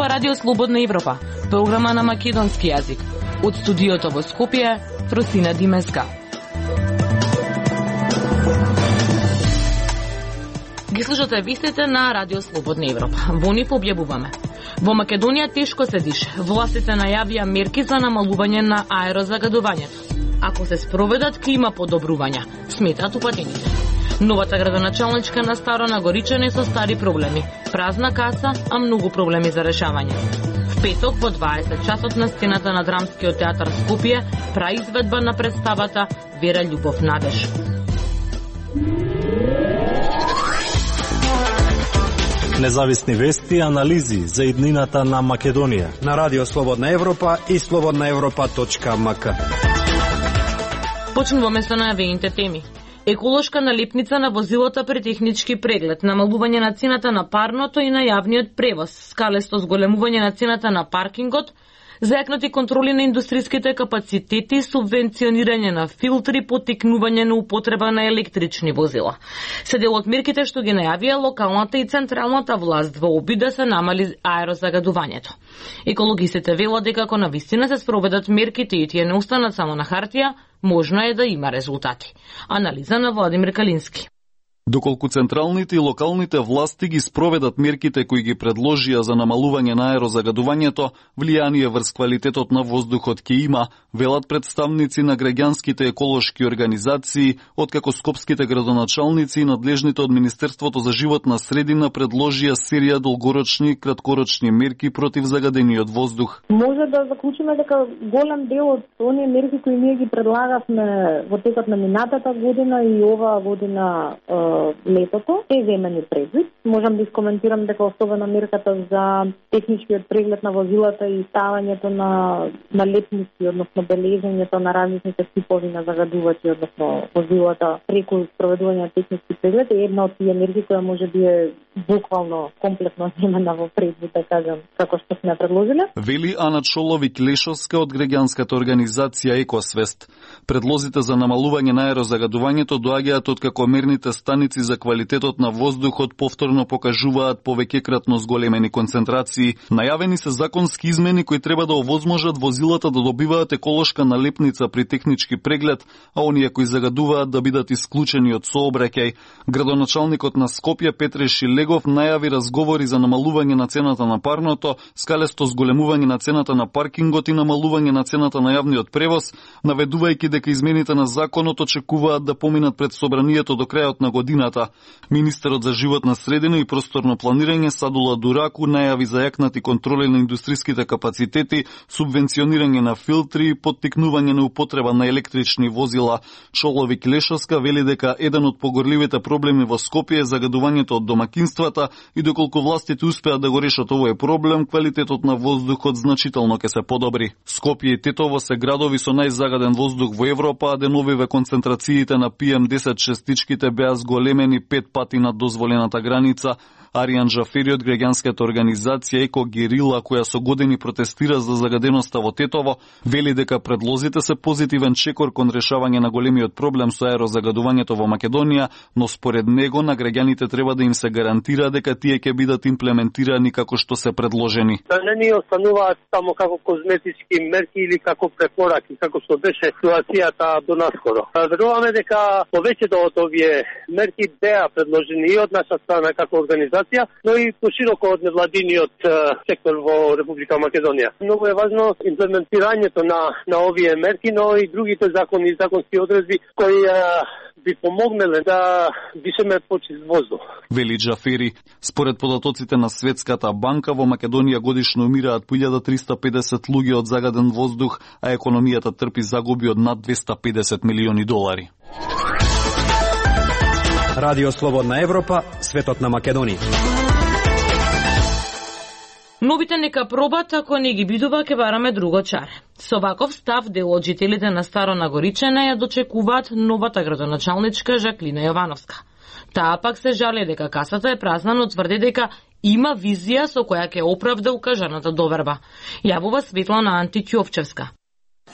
ова Радио Слободна Европа, програма на македонски јазик. Од студиото во Скопје, Фросина Димеска. Ги слушате вистите на Радио Слободна Европа. Во нив објавуваме. Во Македонија тешко се дише. Властите најавија мерки за намалување на аерозагадувањето. Ако се спроведат, клима подобрувања, сметат упатените. Новата градоначалничка на Старо Нагоричане со стари проблеми. Празна каса, а многу проблеми за решавање. В петок во 20 часот на сцената на Драмскиот театар Скопје праизведба на представата Вера Љубов Надеж. Независни вести и анализи за иднината на Македонија на Радио Слободна Европа и slobodnaevropa.mk. Почнуваме со најавените теми. Еколошка налепница на возилата при технички преглед, намалување на цената на парното и на јавниот превоз, скалесто зголемување на цената на паркингот, зајакнати контроли на индустриските капацитети, субвенционирање на филтри, поттикнување на употреба на електрични возила. Се дел од мерките што ги најавија локалната и централната власт во обид да се намали аерозагадувањето. Екологистите велат дека ако навистина се спроведат мерките и тие не останат само на хартија, можно е да има резултати. Анализа на Владимир Калински. Доколку централните и локалните власти ги спроведат мерките кои ги предложија за намалување на аерозагадувањето, влијание врз квалитетот на воздухот ќе има, велат представници на граѓанските еколошки организации, откако скопските градоначалници и надлежните од Министерството за животна средина предложија серија долгорочни и краткорочни мерки против загадениот воздух. Може да заклучиме дека голем дел од оние мерки кои ние ги предлагавме во текот на минатата година и оваа година летото е земени предвид. Можам да искоментирам дека особено мерката за техничкиот преглед на возилата и ставањето на лепници, односно бележењето на различните типови на загадувачи, односно возилата преку спроведување на технички преглед е една од тие мерки која може би е буквално комплетно земена во предвид, да кажам, како што сме предложиле. Вели Ана Чоловик-Лешовска од граѓанската организација Екосвест. Предлозите за намалување на аерозагадувањето доаѓаат од како мерните станици за квалитетот на воздухот повторно покажуваат повеќекратно зголемени концентрации. Најавени се законски измени кои треба да овозможат возилата да добиваат еколошка налепница при технички преглед, а оние кои загадуваат да бидат исклучени од сообраќај. Градоначалникот на Скопје Петре Шилегов најави разговори за намалување на цената на парното, скалесто зголемување на цената на паркингот и намалување на цената на јавниот превоз, наведувајќи дека измените на законот очекуваат да поминат пред собранието до крајот на годината. Министерот за животна средина и просторно планирање Садула Дураку најави зајакнати контроли на индустриските капацитети, субвенционирање на филтри и поттикнување на употреба на електрични возила. Чоловик Лешовска вели дека еден од погорливите проблеми во Скопје е загадувањето од домакинствата и доколку властите успеат да го решат овој проблем, квалитетот на воздухот значително ќе се подобри. Скопје и Тетово се градови со најзагаден воздух во Европа, а деновиве концентрациите на PM10 честичките беа зголемени 5 пати над дозволената граница. Аријан Джафери од граѓанската организација Еко Герила, која со години протестира за загаденоста во Тетово, вели дека предлозите се позитивен чекор кон решавање на големиот проблем со аерозагадувањето во Македонија, но според него на граѓаните треба да им се гарантира дека тие ќе бидат имплементирани како што се предложени. Да не ни остануваат само како козметички мерки или како препораки, како што беше ситуацијата до наскоро. Веруваме дека повеќето од овие мерки беа предложени и од наша страна како организација, но и пошироко од невладиниот сектор во Република Македонија. Многу е важно имплементирањето на овие мерки, но и другите закони и законски одредби кои би помогнеле да дишеме почист воздух. Вели Джафери, според податоците на Светската банка, во Македонија годишно умираат по 1350 луѓе од загаден воздух, а економијата трпи загуби од над 250 милиони долари. Радио Слободна Европа, светот на Македонија. Новите нека пробат, ако не ги бидува, ќе бараме друго чаре. Со ваков став, дел од жителите на Старо Нагоричане ја дочекуваат новата градоначалничка Жаклина Јовановска. Таа пак се жали дека касата е празна, но тврди дека има визија со која ќе оправда укажаната доверба. Јавува Светлана Антиќовчевска.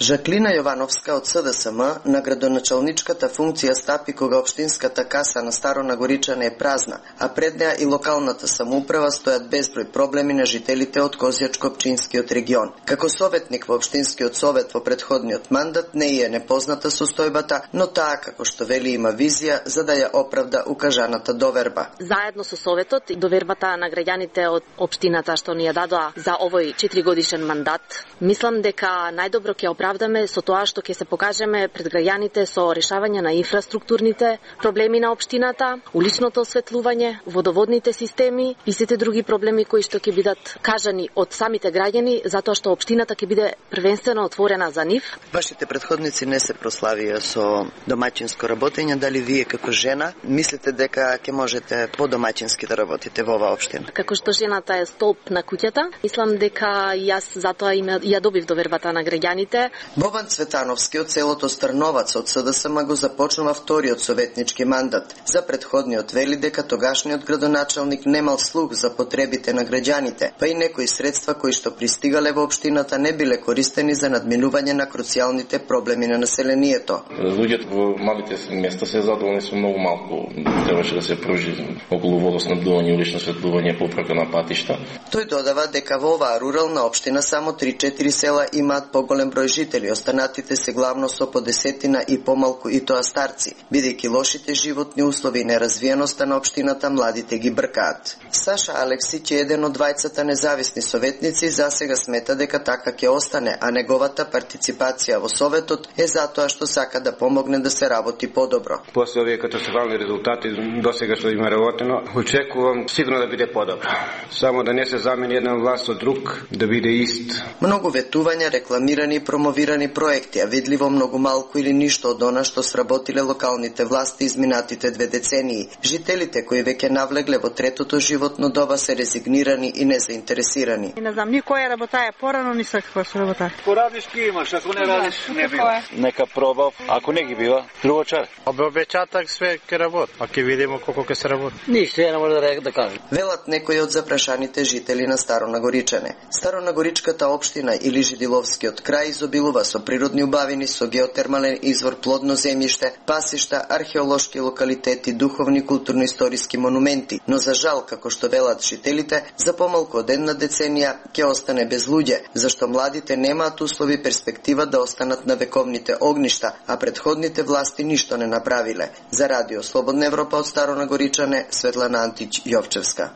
Жаклина Јовановска од СДСМ на градоначалничката функција стапи кога општинската каса на Старонагоричане е празна, а пред неа и локалната самоуправа стојат безброј проблеми на жителите од Козјачко-општинскиот регион. Како советник во општинскиот совет во претходниот мандат не е непозната состојбата, но таа како што вели има визија за да ја оправда укажаната доверба. Заедно со советот и довербата на граѓаните од општината што ни ја дадоа за овој 4-годишен мандат, мислам дека најдобро ќе оправдаме со тоа што ќе се покажеме пред граѓаните со решавање на инфраструктурните проблеми на општината, уличното осветлување, водоводните системи и сите други проблеми кои што ќе бидат кажани од самите граѓани, затоа што општината ќе биде првенствено отворена за нив. Вашите претходници не се прославија со домаќинско работење, дали вие како жена мислите дека ќе можете подомаќински да работите во оваа општина? Како што жената е столб на куќата, мислам дека јас затоа ја добив довербата на граѓаните. Бобан Цветановски од селото Старновац од СДСМ го започнува вториот советнички мандат. За претходниот вели дека тогашниот градоначалник немал слух за потребите на граѓаните, па и некои средства кои што пристигале во општината не биле користени за надминување на круцијалните проблеми на населението. Луѓето во малите места се задоволни со многу малку. Требаше да се пружи околу водоснабдување, улично осветлување, поправка на патишта. Тој додава дека во оваа рурална општина само 3-4 села имаат поголем број жители, останатите се главно со по десетина и помалку и тоа старци, бидејќи лошите животни услови и неразвиеноста на општината младите ги бркаат. Саша Алексиќ е еден од двајцата независни советници, засега смета дека така ќе остане, а неговата партиципација во советот е затоа што сака да помогне да се работи подобро. После овие катастрофални резултати досега што има работено, очекувам сигурно да биде подобро. Само да не се замени една власт од друг, да биде ист. Многу ветувања, рекламирани и промовирани проекти, а видливо многу малку или ништо од она што сработиле локалните власти изминатите 2 децении. Жителите кои веќе навлегле во третото животно доба се резигнирани и незаинтересирани. Не знам ни која работа е порано, ни са каква се работа. Порадиш ки имаш, ако не радиш не бива. Нека пробав, ако не ги бива, друго чар. Обеќатак све ќе работи, а ќе видиме колку ќе се работи. Ништо не може да кажам. Велат некои од запрашаните жители на Старонагоричане. Старонагоричката општина или Жидиловскиот крај изобилува со природни убавини, со геотермален извор, плодно земјиште, пасишта, археолошки локалитети, духовни културно-историски монументи, но за жал, како што велат жителите, за помалку од една деценија ќе остане без луѓе, зашто младите немаат услови перспектива да останат на вековните огништа, а претходните власти ништо не направиле. За Радио Слободна Европа од Старонагоричане, Светлана Антич Јовчевска.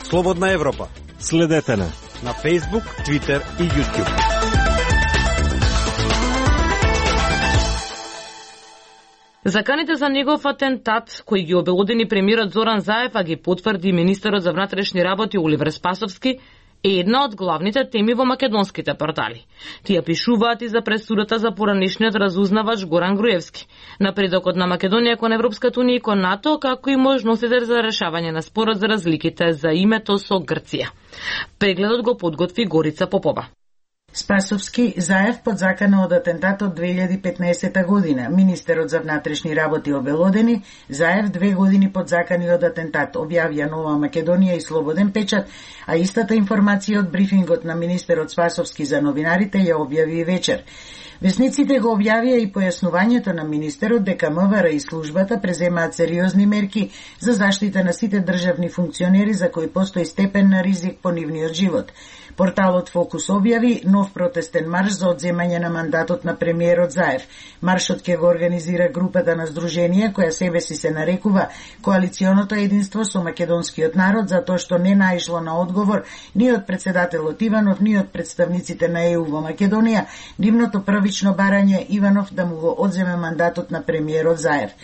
Слободна Европа. Следете на Facebook, Twitter и YouTube. Заканите за негов атентат, кои ги обелодени премиерот Зоран Заев, а ги потврди министерот за внатрешни работи Оливер Спасовски, е една од главните теми во македонските портали. Тие пишуваат и за пресудата за поранешниот разузнавач Горан Груевски, напредокот на Македонија кон Европската унија и кон НАТО, како и можностите за решавање на спорот за разликите за името со Грција. Прегледот го подготви Горица Попова. Спасовски, Заев под закана од атентатот 2015 година. Министерот за внатрешни работи обелодени, Заев 2 години под закани од атентат, објавија Нова Македонија и Слободен печат, а истата информација од брифингот на министерот Спасовски за новинарите ја објави вечер. Весниците го објавија и појаснувањето на министерот дека МВР и службата преземаат сериозни мерки за заштита на сите државни функционери за кои постои степен на ризик по нивниот живот. Порталот Фокус објави нов протестен марш за одземање на мандатот на премиерот Заев. Маршот ќе го организира групата на здруженија која себе си се нарекува Коалиционото единство со македонскиот народ, затоа што не наишло на одговор ни од председателот Иванов, ни од представниците на ЕУ во Македонија, нивното првично барање Иванов да му го одземе мандатот на премиерот Заев.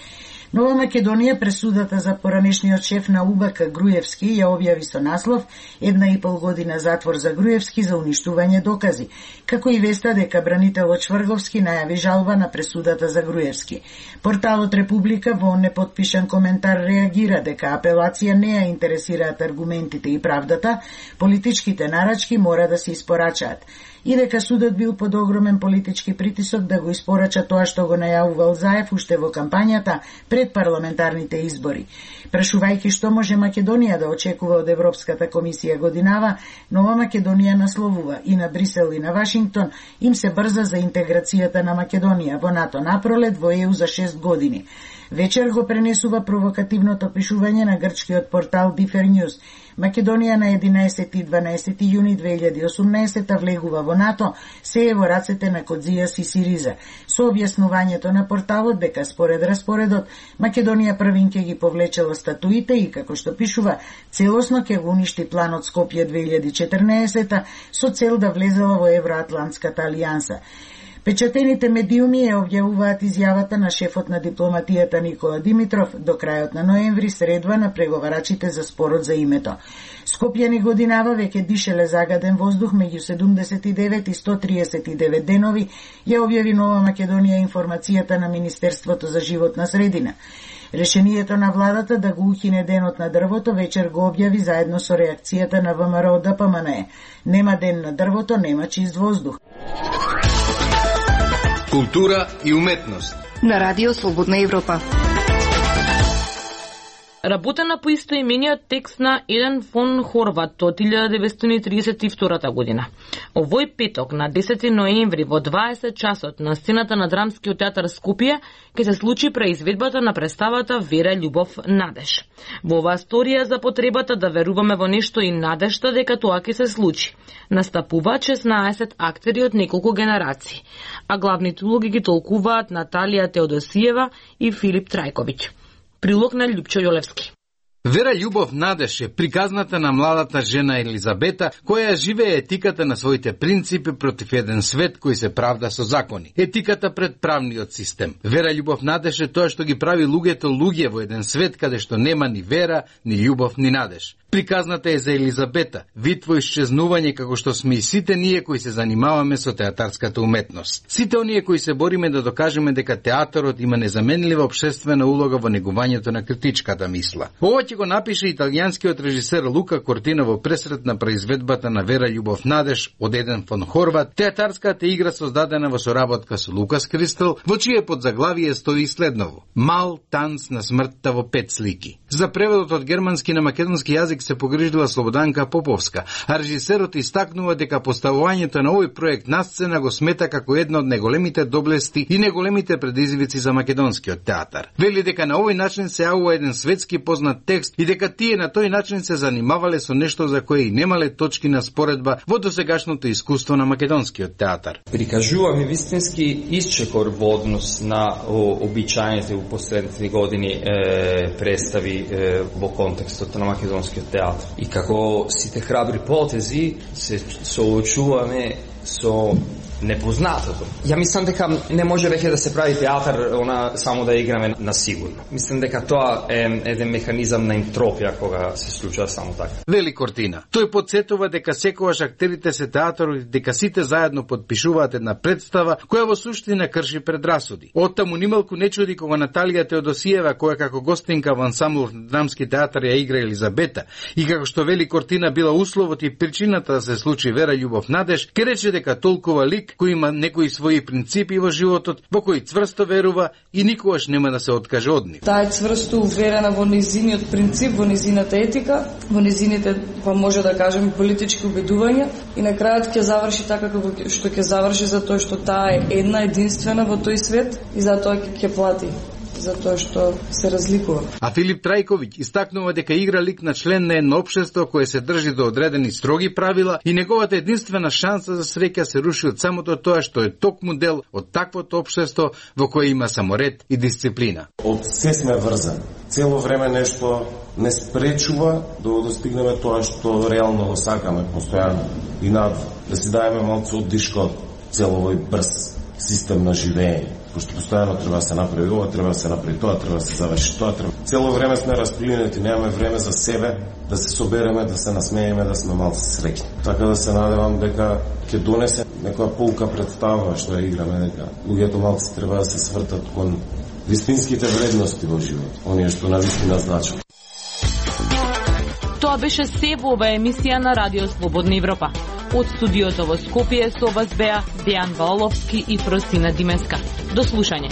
Нова Македонија пресудата за поранешниот шеф на УБК Груевски ја објави со наслов 1,5 година затвор за Груевски за уништување докази, како и веста дека бранителот Шврговски најави жалба на пресудата за Груевски. Порталот Република во непотпишан коментар реагира дека апелација не ја интересираат аргументите и правдата, политичките нарачки мора да се испорачаат. И дека судот бил под огромен политички притисок да го испорача тоа што го најавувал Заев уште во кампањата пред пред парламентарните избори. Прашувајќи што може Македонија да очекува од Европската комисија годинава, Нова Македонија насловува и на Брисел и на Вашингтон им се брза за интеграцијата на Македонија во НАТО напролет, во ЕУ за 6 години. Вечер го пренесува провокативното пишување на грчкиот портал Differ News. Македонија на 11 и 12 јуни 2018 влегува во НАТО, се е во рацете на Кодзијас и Сириза. Со објаснувањето на порталот дека според распоредот Македонија првин ќе ги повлечела статуите и, како што пишува, целосно ќе го уништи планот Скопје 2014 со цел да влезела во Евроатлантската алијанса. Печатените медиуми ја објавуваат изјавата на шефот на дипломатијата Никола Димитров до крајот на ноември средба на преговарачите за спорот за името. Скопјани годинава веќе дишеле загаден воздух меѓу 79 и 139 денови, ја објави Нова Македонија информацијата на Министерството за животна средина. Решението на владата да го ухине денот на дрвото вечер го објави заедно со реакцијата на ВМРО ДПМНЕ. Нема ден на дрвото, нема чист воздух. Култура и уметност на Радио Слободна Европа. Работена по истоимениот текст на Еден фон Хорват од 1932 година. Овој петок на 10 ноември во 20 часот на сцената на Драмскиот театар Скопје ќе се случи преизведбата на представата Вера, љубов, надеж. Во оваа сторија за потребата да веруваме во нешто и надежта дека тоа ќе се случи. Настапуваат 16 актери од неколку генерации, а главните улоги ги толкуваат Наталија Теодосиева и Филип Трајковиќ. Прилог на Љупчо Јолевски. Вера, љубов, надеж е приказната на младата жена Елизабета, која живее етиката на своите принципи против еден свет кој се правда со закони. Етиката пред правниот систем. Вера, љубов, надеж е тоа што ги прави луѓето луѓе во еден свет каде што нема ни вера, ни љубов, ни надеж. Приказната е за Елизабета, вид во исчезнување како што сме и сите ние кои се занимаваме со театарската уметност. Сите оние кои се бориме да докажеме дека театарот има незаменлива општествена улога во негувањето на критичката мисла. Ова ќе го напише италијанскиот режисер Лука Кортина во пресрет на произведбата на Вера, љубов, надеж од Еден фон Хорват, театарската игра создадена во соработка со Лукас Кристел, во чие подзаглавие стои следново: Мал танц на смртта во 5 слики. За преводот од германски на македонски јазик се погрижила Слободанка Поповска, а режисерот истакнува дека поставувањето на овој проект на сцена го смета како една од неголемите доблести и неголемите предизвици за македонскиот театар. Вели дека на овој начин се јавува еден светски познат текст и дека тие на тој начин се занимавале со нешто за кое и немале точки на споредба во досегашното искуство на македонскиот театар. Прикажуваме вистински исчекор во однос на обичајните во последните години представи во контекстот на македонскиот театар. И како сите храбри потези се соочуваме со непознатото. Ја мислам дека не може веќе да се прави театар само да играме на сигурно. Мислам дека тоа е еден механизам на ентропија кога се случува само така. Вели Кортина. Тој потсетува дека секогаш актерите се театари, дека сите заедно подпишуваат една представа која во суштина крши предрасуди. Оттаму нималку не чуди кога Наталија Теодосиева, која како гостинка во ансамблов на Драмски театар ја игра Елизабета и како што вели Кортина била условот и причината да се случи Вера, љубов, надеж, ке рече дека толкова лик кој има некои своји принципи во животот, во кои цврсто верува и никогаш нема да се откаже од нив. Таа е цврсто уверена во незиниот принцип, во незината етика, во незините, па може да кажеме, политички убедувања и на крајот ќе заврши така како што ќе заврши, затоа што таа е една единствена во тој свет и затоа ќе плати затоа што се разликува. А Филип Трајковиќ истакнува дека игра лик на член на едно општество кое се држи до одредени строги правила и неговата единствена шанса за среќа се руши од самото тоа што е токму дел од таквото општество во кое има само ред и дисциплина. Од се сме врзани. Цело време нешто не спречува да достигнеме тоа што реално го сакаме постојано и надвор. Да си даеме малку оддишка од цело овој брз систем на живење. Пошто постојано треба да се направи ова, треба да се направи тоа, треба да се заврши тоа, треба. Цело време сме расплинети, немаме време за себе, да се собереме, да се насмееме, да сме малку среќни. Така да се надевам дека ќе донесе некоја полка представа што ја играме, дека луѓето малку треба да се свртат кон вистинските вредности во живот, оние што навистина значат. Тоа беше се во оваа емисија на Радио Слободна Европа. Од студиото во Скопје со вас беа Дејан Ваоловски и Фросина Димеска. До слушање.